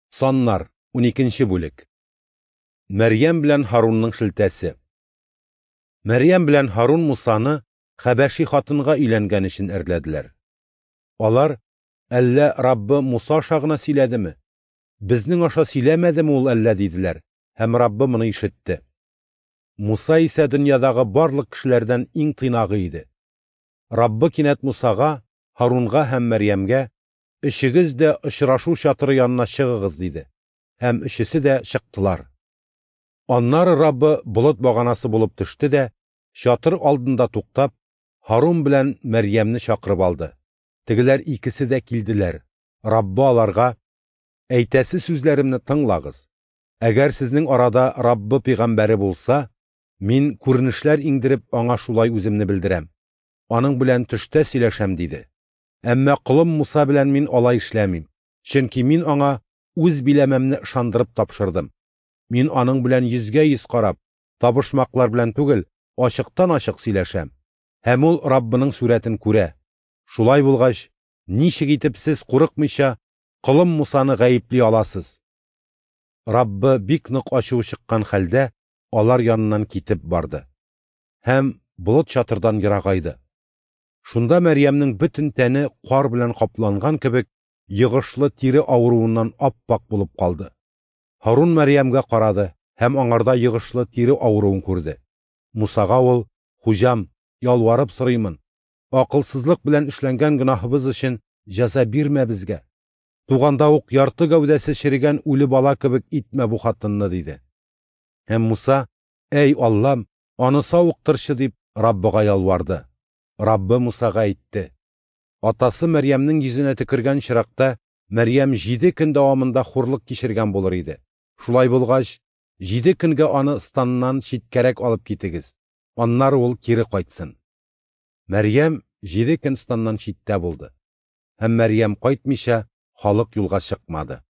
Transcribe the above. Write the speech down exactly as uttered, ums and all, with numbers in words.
Саннар, уникенче бүлек. Мәрьям белән Һарунның шелтәсе. Мәрьям белән Һарун Мусаны хәбәши хатынга өйләнгән өчен әрләделәр. Алар: "Әллә Раббы Муса аша гына сөйләдеме? Безнең аша сөйләмәдеме ул әллә?" – диделәр, һәм Раббы моны ишетте. Муса исә дөньядагы барлык кешеләрдән иң тыйнагы иде. Раббы кинәт Мусага, Һарунга һәм Мәрьямгә: "Өчегез дә очрашу чатыры янына чыгыгыз", – диде. Һәм өчесе дә чыктылар. Аннары Раббы болыт баганасы булып төште дә, чатыр алдында туктап, Һарун белән Мәрьямне чакырып алды. Тегеләр икесе дә килделәр. Раббы аларга: "Әйтәсе сүзләремне тыңлагыз. Әгәр сезнең арада Раббы пәйгамбәре булса, мин күренешләр иңдереп аңа шулай үземне белдерәм. Аның белән төштә сөйләшәм", – диде. "Әмма колым Муса белән мин алай эшләмим, чөнки мин аңа үз биләмәмне ышандырып тапшырдым. Мин аның белән йөзгә йөз карап, табышмаклар белән түгел, ачыктан-ачык сөйләшәм. Һәм ул Раббының сурәтен күрә. Шулай булгач, ничек итеп сез курыкмыйча колым Мусаны гаепли аласыз?" Раббы бик нык ачуы чыккан хәлдә алар яныннан китеп барды һәм болыт чатырдан ерагайды. Шунда Мәрьямнең бөтен тәне кар белән капланган кебек йогышлы тире авыруыннан ап-ак булып калды. Һарун Мәрьямгә карады һәм аңарда йогышлы тире авыруын күрде. Мусага ул: "Хуҗам, ялварып сорыймын, акылсызлык белән эшләнгән гөнаһыбыз өчен җәза бирмә безгә. Туганда ук ярты гәүдәсе черегән үле бала кебек итмә бу хатынны", – диде. Һәм Муса: "Әй Аллам, аны савыктырчы", – дип Раббыга ялварды. Раббы Мусага әйтте: "Атасы Мәрьямнең йөзенә төкергән чиракта Мәрьям җиде көн дәвамында хурлык кичергән булыр иде. Шулай булгач, җиде көнгә аны станнан читкәрәк алып китегез. Аннары ул кире кайтсын". Мәрьям җиде көн станнан читтә булды. Һәм Мәрьям кайтмыйча халык юлга чыкмады.